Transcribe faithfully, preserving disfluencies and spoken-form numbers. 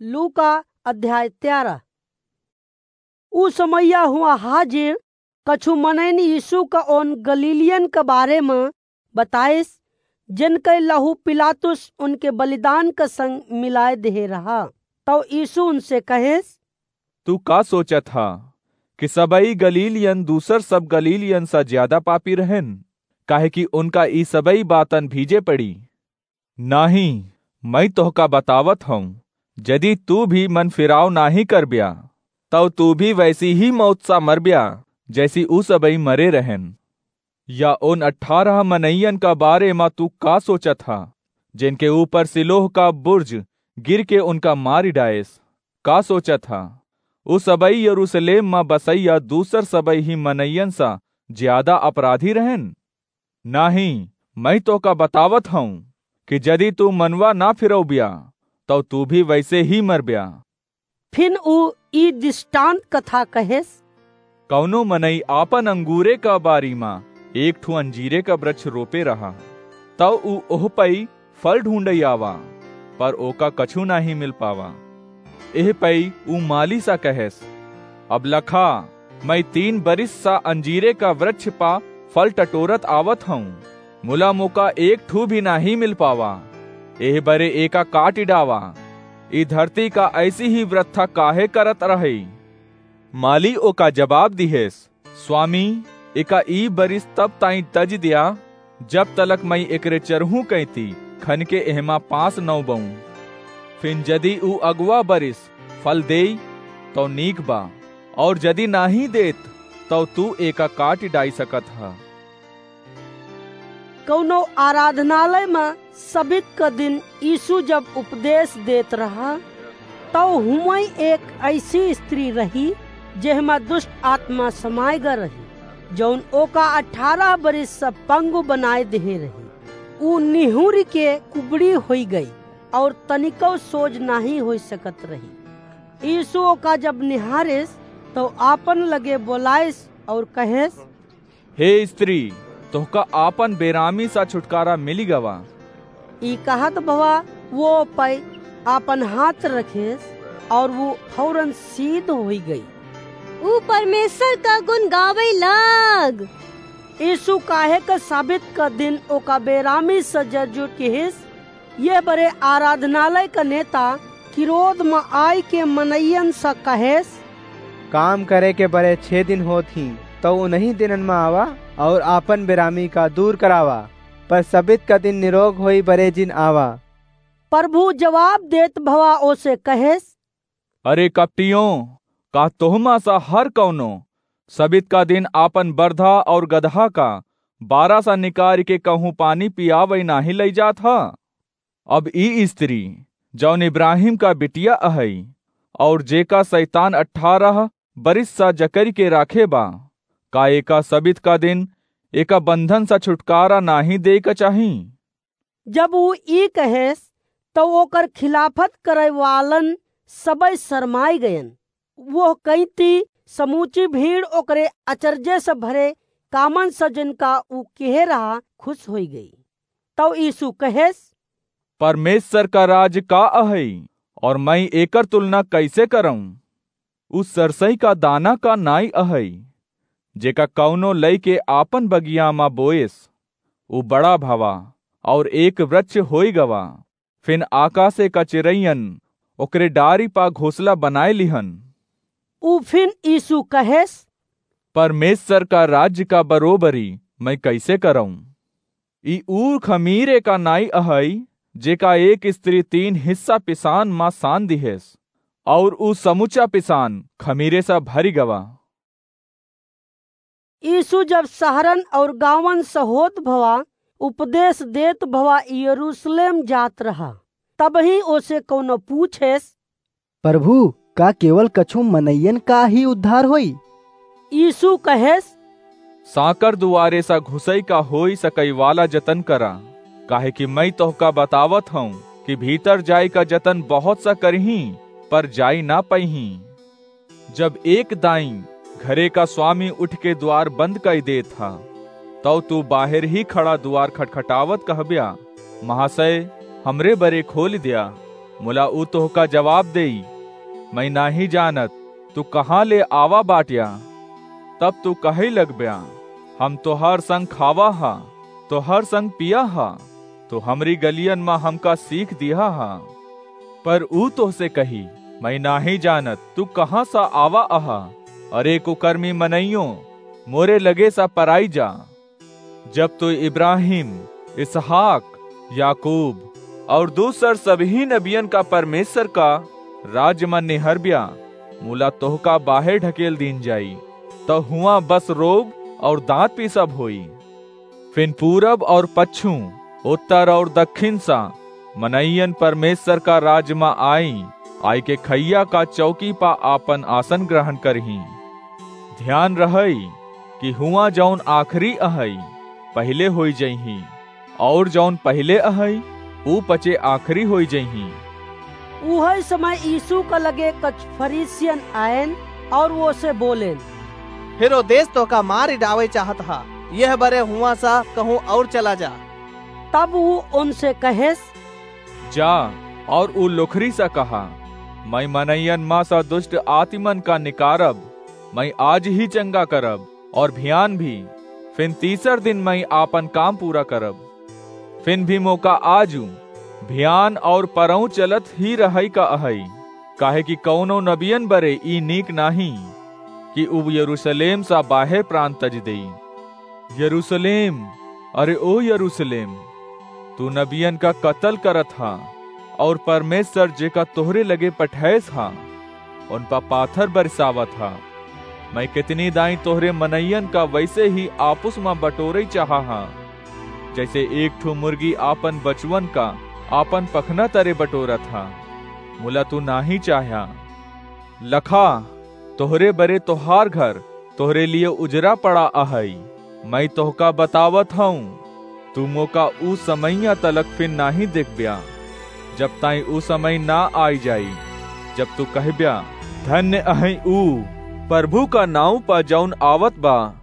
लूका अध्याय तेरह। उ समैया हुआ हाजिर कछु मनइन यीशु का ओन गलीलियन के बारे में बताइस, जिनके लहू पिलातुस उनके बलिदान के संग मिलाए देहे रहा। तौ यीशु उनसे कहेस, "तू का सोचत हा कि सबई गलीलियन दूसर सब गलीलियन सा ज्यादा पापी रहन, काहे कि उनका ई सबई बातन भीजे पड़ी? नाहीं, मैं तोहका बतावत हूँ, यदि तू भी मन फिराव नाहीं करब्या, तौ तू भी वैसी ही मौत सा मरब्या, जैसी ऊ सबई मरे रहन।" या उन अठारह मनइयन का बारे मा तू का सोचत हा, जिनके ऊपर सिलोह का बुर्ज गिर के उनका मारी डायस? का सोचत हा, ऊ सबई यरूशलेम मा बसैया दूसर सबई ही मनइयन सा ज्यादा अपराधी रहन? नाहीं, मैं तोहका बतावत हूँ कि यदि तू मनवा ना फिरौबिया, तौ तू भी वैसे ही मरब्या। फिन ऊ ई दृष्टांत कथा कहेस, कौनो मनई आपन अंगूरे का बारी मा एक ठो अंजीरे का वृक्ष रोपे रहा, तौ ऊ ओह पई फल ढूंढई आवा, पर ओका कछु नाहीं मिल पावा। एह पई ऊ माली सा कहेस, "अब लखा, मैं तीन बरिस सा अंजीरे का वृक्ष पा फल टटोरत आवत हूँ, मुला मोका एक ठू भी नाहीं मिल पावा। एह बरे एका काटि डावा। ई धरती का ऐसी ही वृथा काहे करत रहई?" माली ओका जवाब दिहेस, "स्वामी, एका ई बरिस तब ताईं तज दिया, जब तलक मैं एकरे चरहू कैती खन के एहमा पास नौ बऊं। फिन जदि ऊ अगवा बरिस फल देई, तौ नीक बा, और जदि नाहीं देत, तौ तू एका काटि डाई सकत ह।" कौनो आराधनालय में सबित क दिन यीशु जब उपदेश देत रहा, तौ हुआं एक ऐसी स्त्री रही, जेहमा दुष्ट आत्मा समाय ग रही, जौन ओका अठारह बरिस से पंगु बनाए देहे रही। ऊ निहुरि के कुबड़ी होई गई और तनिकौ सोज नाहीं होई सकत रही। यीशु ओका जब निहारिस, तौ आपन लगे बोलाइस और कहेस, "हे स्त्री, तोहका आपन बेरामी सा छुटकारा मिलि गवा।" ई कहत भवा वो पै आपन हाथ रखेस और वो फौरन सीध होई गई। ऊ परमेश्वर का गुण गावै लाग। यीशु काहे क साबित क दिन ओका बेरामी से जरजुर किहिस, ये बरे आराधनालय क नेता किरोध म आय के मनइयन स कहेस, काम करे के बरे छे दिन होत ही, तौ उन्हीं दिनन म आवा और आपन बेरामी का दूर करावा, पर सबित का दिन निरोग होई बरे जिन आवा। प्रभु जवाब देत भवा ओसे कहेस, अरे कपटियों, का तोहमा सा हर कौनो सबित का दिन आपन बरधा और गदहा का बारा सा निकारि के कहूँ पानी पियावै नाहीं लई जात ह? अब ई स्त्री, जौन इब्राहिम का बिटिया अहई, और जेका शैतान अठारह बरिस सा जकरि के राखे बा, का एका सबित का दिन एका बंधन सा छुटकारा नाहीं देइ क चाही? जब ऊ ई कहेस, तौ ओकर खिलाफत करै वालन सबई शरमाय गयन। वोह कइती समूची भीड़ ओकरे अचरजे से भरे कामन से, जिनका ऊ किहे रहा, खुश होई गई। तौ यीशु कहेस, परमेश्वर का राज का अहई, और मैं एकर तुलना कैसे करऊं? ऊ सरसई का दाना का नाई अहई, जेका कौनो लइके आपन बगिया मा बोएस। ऊ बड़ा भवा और एक वृक्ष होई गवा, फिन आकाशे का चिरैयन ओकरे डारी पा घोंसला बनाए लिहन। ऊ फिन यीशु कहेस, परमेश्वर का राज्य का बरोबरी मैं कैसे करऊं? ई ऊ खमीरे का नाई अहई, जेका एक स्त्री तीन हिस्सा पिसान मा सान दिहेस, और ऊ समुचा पिसान खमीरे सा भरि गवा। यीशु जब शहरन और गांवन से होत भवा, उपदेश देत भवा यरूशलेम जात रहा, तबही ओसे कौनो पूछेस, प्रभु, का केवल कछु मनइयन का ही उद्धार होई? यीशु कहेस, सांकर दुआरे सा घुसई का होई सकई वाला जतन करा, काहे कि मैं तोहका बतावत हूँ कि भीतर जाई का जतन बहुत सा करिहीं, पर जाई ना पइहीं। जब एक दाईं घरे का स्वामी उठ के द्वार बंद कई देत हा, तौ तू बाहर ही खड़ा द्वार खटखटावत कहब्या, महाशय, हमरे बरे खोल द्या। मुला ऊ तोहका जवाब देई, "मैं नाहीं जानत, तू कहाँ ले आवा बाट्या?" तब तू कहइ लगब्या, "हम तोहर संग खावा हा, तोहर संग पिया हा, तू हमरी गलियन मा हमका सीख दिहा हा।" पर ऊ तोहसे कही, "मैं नाहीं जानत, तू कहाँ सा आवा अहा? अरे कुकर्मी मनइयो, मोरे लगे सा पराई जा।" जब तू इब्राहिम, इसहाक, याकूब और दूसर सबही नबियन का परमेश्वर का राज मा निहरब्या, मुला तोहका बाहेर ढकेल दीन जाई, तो हुआं बस रोब और दांत पीसब होई। फिन पूरब और पच्छू, उत्तर और दक्खिन सा मनइयन परमेश्वर का राज मा आई, आइके खइया का चौकी पा आपन आसन ग्रहण करहीं। ध्यान रहइ कि हुआं जौन आखिरी अहइ, पहिले होइ जइहीं, और जौन पहिले अहइ, ऊ पचे आखिरी होइ जइहीं। उहइ समय यीशु का लगे कुछ फरीसियन आएन और ओसे बोलेन, "हेरोदेस तोहका मारि डावइ चाहत हा, यह बरे हुआं सा कहूँ और चला जा।" तब ऊ उनसे कहेस, "जा, और ऊ लोखरी सा कहा, 'मैं मनइयन मा सा दुष्ट आतिमन का निकारब, मैं आज ही चंगा करब, और भियान भी, फिन तीसर दिन मैं आपन काम पूरा करब।' फिन भी मोका आजू, भियान और परौं चलत ही रहइ का अहइ, काहे कि कउनो नबियन बरे ई नीक नाहीं कि ऊ यरूसलेम सा बाहेर प्रान तजि देई। यरूसलेम, अरे ओ यरूसलेम, तू नबियन का कतल करत हा, और परमेश्वर जेका तोहरे लगे पठैस हा, उन पा पाथर बरसावत हा। मैं कितनी दाईं तोहरे मनइयन का वइसे ही आपुस मा बटोरइ चाहा हा, जइसे एक ठो मुर्गी आपन बचवन का आपन पखना तरे बटोरत हा, मुला तू नाहीं चाह्या। लखा, तोहरे बरे तोहार घर तोहरे लिए उजरा पड़ा अहइ। मैं तोहका बतावत हऊँ, तू मोका ऊ समइया तलक फिन नाहीं देखब्या, जब ताईं ऊ समय ना आइ जाई, जब तू कहब्या, 'धन्य अहइ ऊ, प्रभु का नाउँ पा जौन आवत बा